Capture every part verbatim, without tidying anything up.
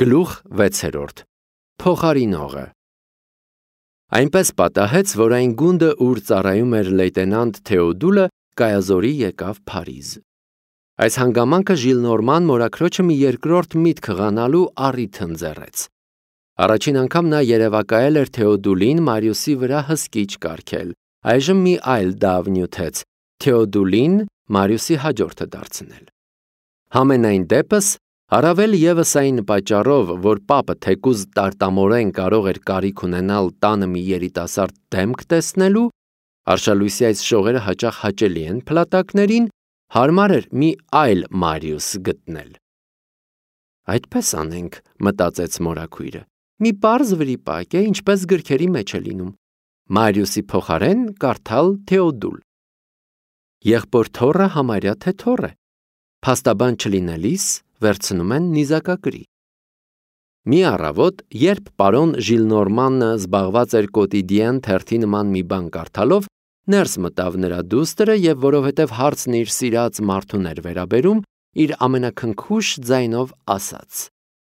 Գլուխ վեցերորդ Փոխարինողը Այնպես պատահեց, որ այն գունդը, ուր ծառայում էր լեյտենանտ Թեոդուլը, կայազորի եկավ Փարիզ։ Այս հանգամանքը Ժիլնորման մորաքրոջը մի երկրորդ միտք ղանալու առիթ ընձեռեց։ Առաջին անգամ նա երևակայել էր Թեոդուլին Մարիուսի վրա հսկիչ կարգել, այժմ մի այլ դավ նյութեց, Թեոդուլին Մարիուսի հաջորդը դարձնել։ Համենայն դեպս, առավել ևս այն պատճառով, որ պապը թեկուզ տարտամորեն կարող էր կարիք ունենալ տանը մի երիտասարդ դեմք տեսնելու, արշալույսի այս շողերը հաճախ հաճելի են փլատակներին, հարմար էր մի այլ Մարիուս գտնել։ Այդպես անենք, մտածեց մորաքույրը, մի պարզ վրիպակ է, ինչպես գրքերի մեջ է լինում, Մարիուսի փոխարեն կարդալ Թեոդուլ։ Եղբոր թոռը համարյա թե թոռ է, փաստաբան չլինելիս վերցնում են նիզակագրի։ Մի առավոտ, երբ պարոն Ժիլնորմանը զբաղված էր կոտիդիեն թերթի նման մի բան կարդալով, ներս մտավ նրա դուստրը և որովհետև հարցն իր սիրած մարդուն էր վերաբերում, իր ամենաքնքուշ ձայնով ասաց.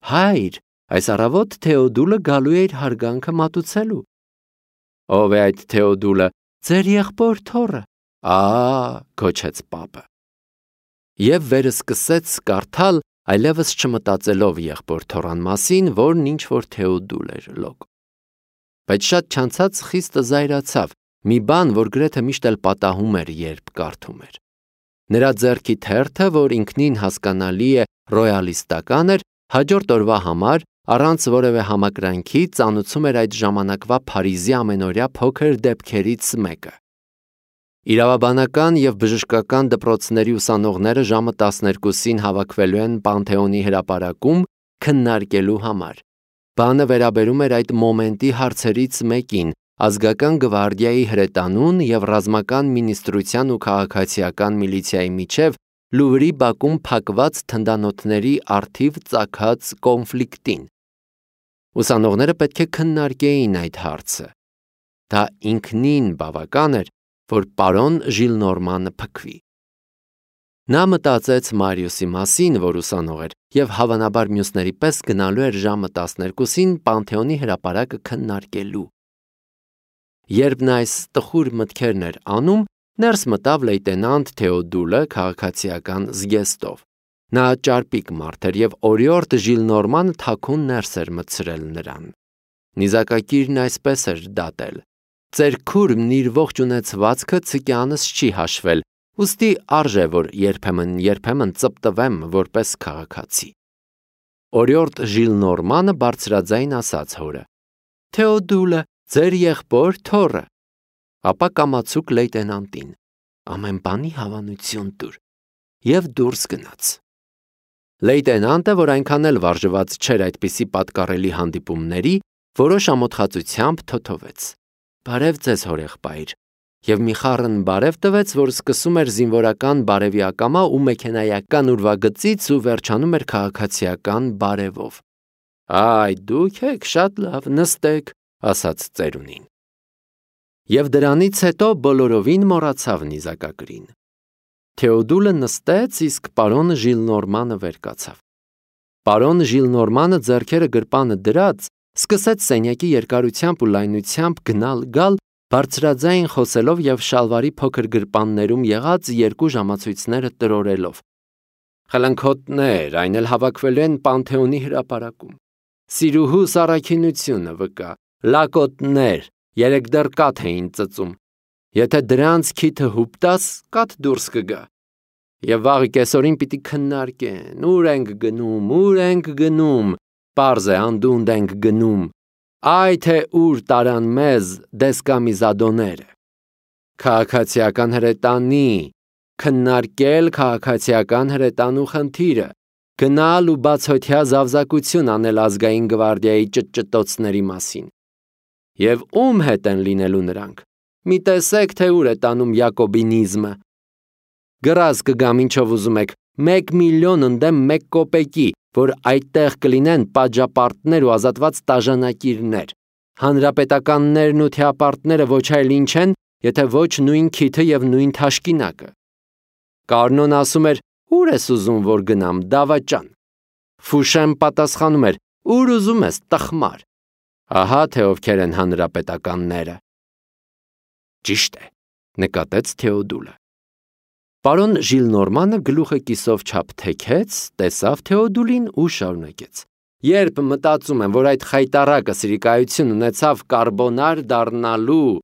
«Հայր, այս առավոտ Թեոդուլը գալու է իր հարգանքը մատուցելու»։ Ով է այդ Թեոդուլը, ձեր եղբոր թոռը, ա, գոչեց պապը։ Եվ վերսկսեց կարդալ, այլևս չմտածելով եղբոր թոռան մասին, որն ինչ-որ Թեոդուլ էր լոկ։ Բայց շատ չանցած խիստ զայրացավ, մի բան, որ գրեթե միշտ էլ պատահում էր, երբ կարդում էր։ Նրա ձեռքի թերթը, որ ինքնին հասկանալի է ռոյալիստական էր, հաջորդ օրվա համար, առանց որևէ համակրանքի, ծանուցում էր այդ ժամանակվա Փարիզի ամենօրյա փոքր դեպքերից մեկը։ Իրավաբանական և բժշկական դպրոցների ուսանողները ժամը տասներկուսին հավաքվելու են Պանթեոնի հրապարակում քննարկելու համար։ Բանը վերաբերում էր այդ մոմենտի հարցերից մեկին, ազգական գվարդիայի հրետանուն և ռազմական մինիստրության ու քաղաքացիական միլիցիայի միջև Լուվրի բակում փակված թնդանոթների առթիվ ծագած կոնֆլիկտին։ Ուսանողները պետք է քննարկեին այդ հարցը։ Դա ինքնին բավական էր, որ պարոն Ժիլնորմանը փքվի։ Նա մտածեց Մարիուսի մասին, որ ուսանող էր, և հավանաբար մյուսների պես գնալու էր ժամը տասներկուսին Պանթեոնի հրապարակը քննարկելու։ Երբ նա այս տխուր մտքերն էր անում, ներս մտավ լեյտենանտ Թեոդուլը քաղաքացիական զգեստով։ Նա ճարպիկ մարդ էր և օրիորդ Ժիլնորմանը թաքուն ներս էր մտցրել նրան։ Նիզակակիրն այսպես էր դատել. «Ձեր քուրմն իր ողջ ունեցվածքը ցկյանս չի հաշվել, ուստի արժե, որ երբեմն-երբեմն ծպտվեմ որպես քաղաքացի»։ Օրիորդ Ժիլնորմանը բարձրաձայն ասաց հորը. «Թեոդուլը, ձեր եղբոր թոռը»։ Ապա կամացուկ լեյտենանտին. «Ամեն բանի հավանություն տուր» և դուրս գնաց։ Լեյտենանտը, որ այնքան էլ վարժված չէր այդպիսի պատկառելի հանդիպումների, որոշ ամոթխածությամբ թոթովեց. «Բարև ձեզ, հորեղբայր», և մի խառն բարև տվեց, որ սկսում էր զինվորական բարևի ակամա ու մեքենայական ուրվագծից ու վերջանում էր քաղաքացիական բարևով։ «Այ, դուք եք, շատ լավ, նստեք», ասաց ծերունին։ Եվ դրանից հետո բոլորովին մոռացավ նիզակագրին։ Թեոդուլը նստեց, իսկ պարոն Ժիլնորմանը վեր կացավ։ Պարոն Ժիլնորմանը ձեռքերը գրպանը դրած, սկսեց սենյակի երկարությամբ ու լայնությամբ գնալ-գալ, բարձրաձայն խոսելով և շալվարի փոքր գրպաններում եղած երկու ժամացույցները տրորելով։ «Խլնքոտներ, այն էլ հավաքվելու են Պանթեոնի հրապարակում։ Սիրուհուս առաքինությունը վկա, լակոտներ, երեկ դեռ կաթ էին ծծում։ Եթե դրանց քիթը հուպտաս, կաթ դուրս կգա։ Եվ վաղը կեսօրին պիտի քննարկեն, ուր ենք գնում, ուր ենք գնում, պարզ է, անդունդ ենք գնում, այ թե ուր տարան մեզ դեսկամիզադոները։ Քաղաքացիական հրետանի, քննարկել քաղաքացիական հրետանու խնդիրը, գնալ ու բացօթյա զավզակություն անել ազգային գվարդիայի ճտճտոցների մասին։ Եվ ում հետ են լինելու նրանք, մի տեսեք, թե ուր է տանում յակոբինիզմը։ Գրազ կգամ ինչով ուզում եք, մեկ միլիոն ընդդեմ մեկ կոպեկի, որ այդտեղ կլինեն պատժապարտներ ու ազատված տաժանակիրներ։ Հանրապետականներն ու թեապարտները ոչ այլ ինչ են, եթե ոչ նույն քիթը և նույն թաշկինակը։ Կարնոն ասում էր, ուր ես ուզում, որ գնամ, դավաճան։ Ֆուշեմ պատասխանում էր, Ուր ուզում ես, տխմար։ Ահա թե ովքեր են հանրապետականները։ Ճիշտ է, նկատեց Թեոդուլը։ Պարոն Ժիլնորմանը գլուխը կիսով չափ թեքեց, տեսավ Թեոդուլին ու շարունակեց. Երբ մտածում եմ, որ այդ խայտառակը սրիկայություն ունեցավ կարբոնար դառնալու,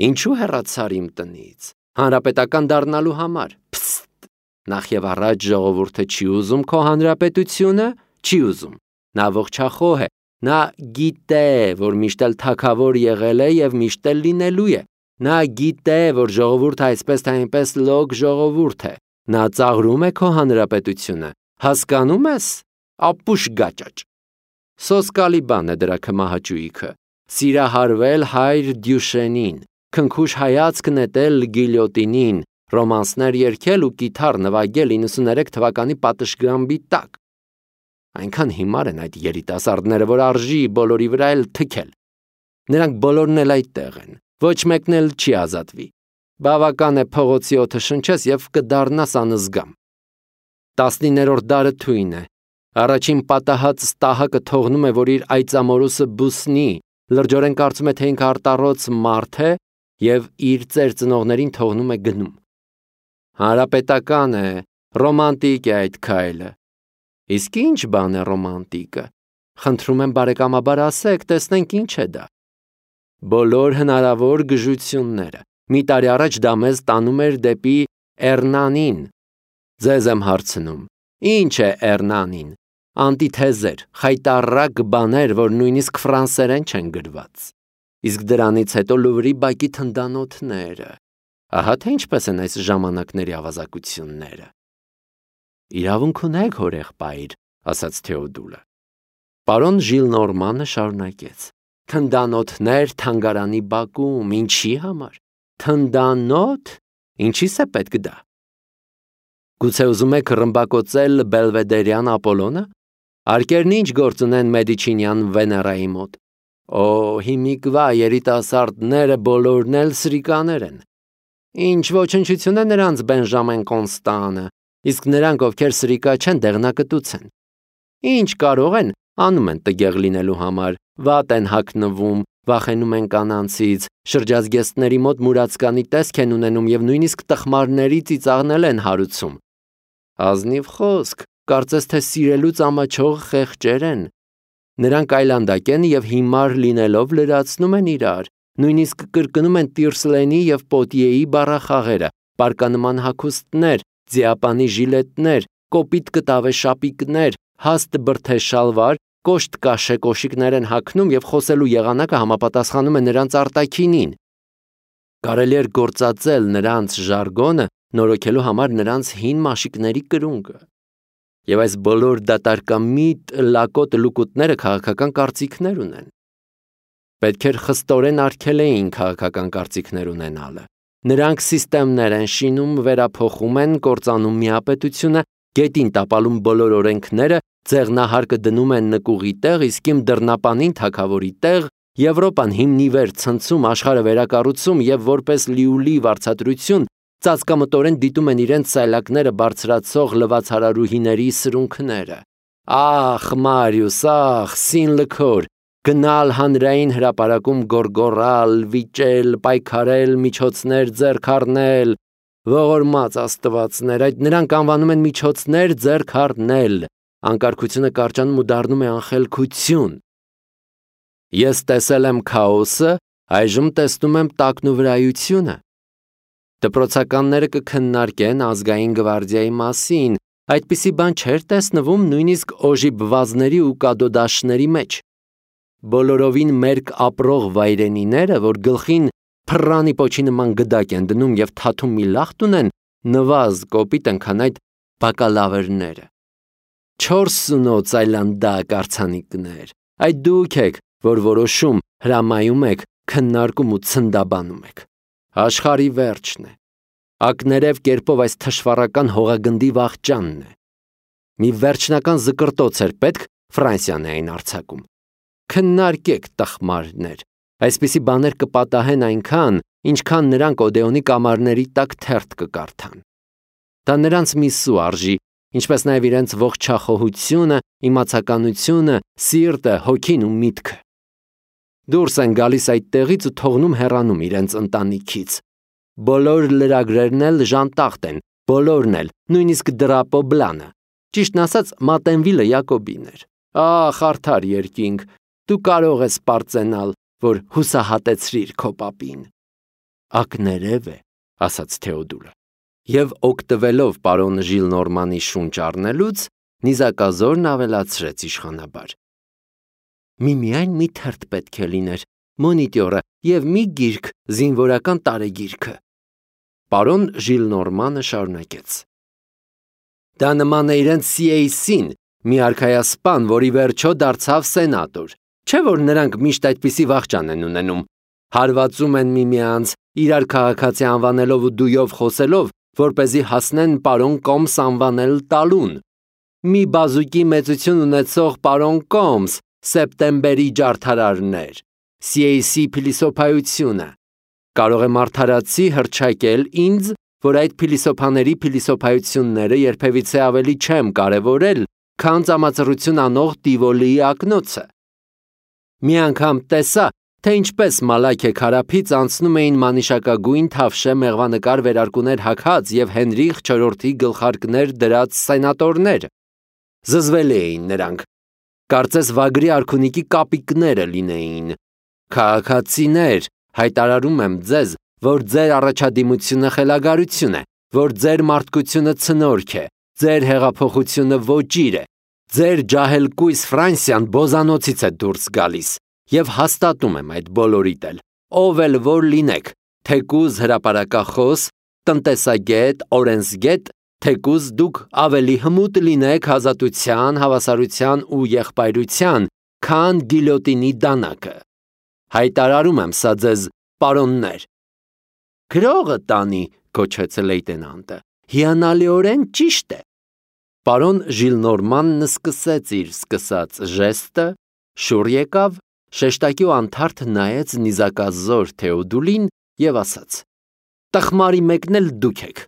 ինչու հեռացար իմ տնից, հանրապետական դառնալու համար։ Փստ, նախ եւ առաջ ժողովուրդը չի ուզում քո հանրապետությունը, չի ուզում։ Նա ողջախոհ է, նա գիտե, որ միշտ էլ թագավոր եղել է եւ միշտ էլ լինելու է։ Նա գիտե, որ ժողովուրդը այսպես թե այնպես լոկ ժողովուրդ է։ Նա ծաղրում է քո հանրապետությունը։ Հասկանում ես, ապուշ գաճաճ։ Սոսկալի բան է դրա քմահաճույքը։ Սիրահարվել հայր Դյուշենին, քնքուշ հայացք նետել գիլյոտինին, ռոմանսներ երգել ու կիթառ նվագել իննսուններեք թվականի պատշգամբի տակ։ Այնքան հիմար են այդ երիտասարդները, որ արժի բոլորի վրա էլ թքել։ Նրանք բոլորն էլ այդտեղ են, ոչ մեկն էլ չի ազատվի։ Բավական է փողոցի օդը շնչես եւ կդառնաս անզգամ։ Տասնիններորդ դարը թույն է։ Առաջին պատահած ստահակը թողնում է, որ իր այծամորուսը բուսնի, լրջորեն կարծում է, թե ինքը արտառոց մարդ է եւ իր ծեր ծնողներին թողնում է գնում։ Հանրապետական է, ռոմանտիկ է այդ քայլը։ Իսկ ինչ բան է ռոմանտիկը։ Խնդրում եմ բարեկամաբար ասեք, տեսնենք ինչ է դա։ Բոլոր հնարավոր գժությունները։ Մի տարի առաջ դա մեզ տանում էր դեպի Էռնանին։ Ձեզ եմ հարցնում, ինչ է Էռնանին։ Անտիթեզեր, խայտառակ բաներ, որ նույնիսկ ֆրանսերեն չեն գրված։ Իսկ դրանից հետո Լուվրի բակի թնդանոթները։ Ահա թե ինչպես են այս ժամանակների ավազակությունները։ Իրավունք ունեք, հորեղբայր, ասաց Թեոդուլը։ Պարոն Ժիլնորմանը շարունակեց. Թնդանոթներ թանգարանի բակում, ինչի համար։ Թնդանոթ, ինչի՞ս է պետք դա։ Գուցե ուզում եք ռմբակոծել Բելվեդերյան Ապոլոնը։ Արկերն ինչ գործ ունեն Մեդիչինյան Վեներայի մոտ։ Օ, հիմիկվա երիտասարդները բոլորն էլ սրիկաներ են։ Ինչ ոչնչություն է նրանց Բենժամեն Կոնստանը, իսկ նրանք, ովքեր սրիկա չեն, դեղնակտուց են։ Ինչ կարող են, անում են տգեղ լինելու համար, վատ են հագնվում, վախենում են կանանցից, շրջազգեստների մոտ մուրացկանի տեսք են ունենում եւ նույնիսկ տխմարների ծիծաղնել են հարուցում։ Ազնիվ խոսք, կարծես թե սիրելուց ամաչող խեղճեր են։ Նրանք այլանդակ են եւ հիմար լինելով լրացնում են իրար, նույնիսկ կրկնում են Տիրսլենի եւ Պոտիեի բառախաղերը, պարկանման հագուստներ, ձիապանի ժիլետներ, կոպիտ կտավե շապիկներ, հաստ բրթե շալվար, կոշտ կաշե կոշիկներ են հագնում եւ խոսելու եղանակը համապատասխանում է նրանց արտաքինին։ Կարելի էր գործածել նրանց ժարգոնը, նորոգելու համար նրանց հին մաշիկների կրունկը։ Եվ այս բոլոր դատարկամիտ լակոտ լուկուտները քաղաքական կարծիքներ ունեն։ Պետք էր խստորեն արգելեին քաղաքական կարծիքներ ունենալը։ Նրանք սիստեմներ են շինում, վերափոխում են, կործանում միապետությունը, գետին տապալում բոլոր օրենքները, ձեղնահարկը դնում են նկուղի տեղ, իսկ իմ դռնապանին թագավորի տեղ, Եվրոպան հիմնի վեր ցնցում, աշխարհը վերակառուցում եւ որպես լիուլի վարձատրություն ծածկամտորեն դիտում են իրենց սայլակները բարձրացող լվացարարուհիների սրունքները։ Ախ, Մարիուս, ախ, Սինլքոր, գնալ հանրային հրապարակում գորգորալ, վիճել, պայքարել, միջոցներ ձեռք առնել, ողորմած աստվածներ, այդ նրանք անվանում են միջոցներ ձեռք առնել, անկարգությունը կարճանում ու դառնում է անխելքություն։ Ես տեսել եմ քաոսը, այժմ տեսնում եմ տակնուվրայությունը։ Դպրոցականները կքննարկեն ազգային գվարդիայի մասին, այդպիսի բան չէր տեսնվում նույնիսկ օժիբվազների ու կադոդաշների մեջ։ Բոլորովին մերկ ապրող վայրենիները, որ գլխին փռանի պոչի նման գդակ են դնում եւ թաթում մի լախտ ունեն, նվազ կոպիտ են, քան այդ բակալավերները։ Չորս սունոց այլանդակ արցանիկներ, այդ դուք եք, որ որոշում, հրամայում եք, քննարկում ու ցնդաբանում եք։ Աշխարհի վերջն է։ Ակներև կերպով այս թշվառական հողագնդի վաղճանն է։ Մի վերջնական զկրտոց էր պետք, Ֆրանսիան էին արձակում։ Քննարկեք, տխմարներ, այսպիսի բաներ կպատահեն այնքան, ինչքան նրանք Օդեոնի կամարների տակ թերթ կկարդան։ Դա նրանց մի սու արժի, ինչպես նաև իրենց ողջախոհությունը, իմացականությունը, սիրտը, հոգին ու միտքը։ Դուրս են գալիս այդ տեղից ու թողնում հեռանում իրենց ընտանիքից։ Բոլոր լրագրերն էլ ժանտախտ են, բոլորն էլ, նույնիսկ դրապոբլանը։ Ճիշտն ասած, Մատենվիլը Յակոբին էր։ Ախ, արդար երկինք, դու կարող ես պարծենալ, որ հուսահատեցրիր քո պապին։ Ակներև է, ասաց Թեոդուլը։ Եվ օգտվելով պարոն Ժիլնորմանի շունչ առնելուց, նիզակազորն ավելացրեց իշխանաբար. Միմիայն մի թերթ պետք է լիներ, մոնիտորը եւ մի գիրք, զինվորական տարեգիրքը։ Պարոն Ժիլնորմանը շարունակեց. Դա նման է իրենց սի էյ սին, մի արքայասպան, որի վերջո դարձավ սենատոր։ Չէ՞ որ նրանք միշտ այդպիսի վախճան են ունենում, հարվածում են միմյանց, իրար քաղաքացի անվանելով ու դույով խոսելով, որպեսզի հասնեն պարոն Կոմս անվանել տալուն։ Մի բազուկի մեծություն ունեցող պարոն Կոմս, սեպտեմբերի ջարդարարներ, սի էյ սի փիլիսոփայությունը։ Կարող եմ արդարացի հռչակել ինձ, որ այդ փիլիսոփաների փիլիսոփայությունները երբևիցե ավելի չեմ կարևորել, քան ծամածռություն անող Տիվոլիի ակնոցը։ Մի անգամ տեսա, թե ինչպես Մալաքե Քարափից անցնում էին մանիշակագույն թավշե մեղվանկար վերարկուներ հագած և Հենրիխ չորրորդի գլխարկներ դրած սենատորներ։ Զզվելի էին նրանք, կարծես վագրի արքունիքի կապիկները լինեին։ Քաղաքացիներ, հայտարարում եմ ձեզ, որ ձեր առաջադիմությունը խելագարություն է, որ ձեր մարդկությունը ցնորք է, ձեր հեղափոխությունը ոճիր է, ձեր ջահելկույս Ֆրանսիան բոզանոցից է դուրս գալիս, և հաստատում եմ այդ բոլորիդ էլ, ով էլ որ լինեք, թեկուզ հրապարակախոս, տնտեսագետ, օրենսգետ, թեկուզ դուք ավելի հմուտ լինեք ազատության, հավասարության ու եղբայրության, քան գիլյոտինի դանակը։ Հայտարարում եմ սա ձեզ, պարոններ։ Գրողը տանի, գոչեց լեյտենանտը, հիանալիորեն ճիշտ է։ Պարոն Ժիլնորմանն սկսեց իր սկսած ժեստը, շուռ եկավ, շեշտակի ու անթարթ նայեց նիզակազոր Թեոդուլին և ասաց. Տխմարի մեկն էլ դուք եք,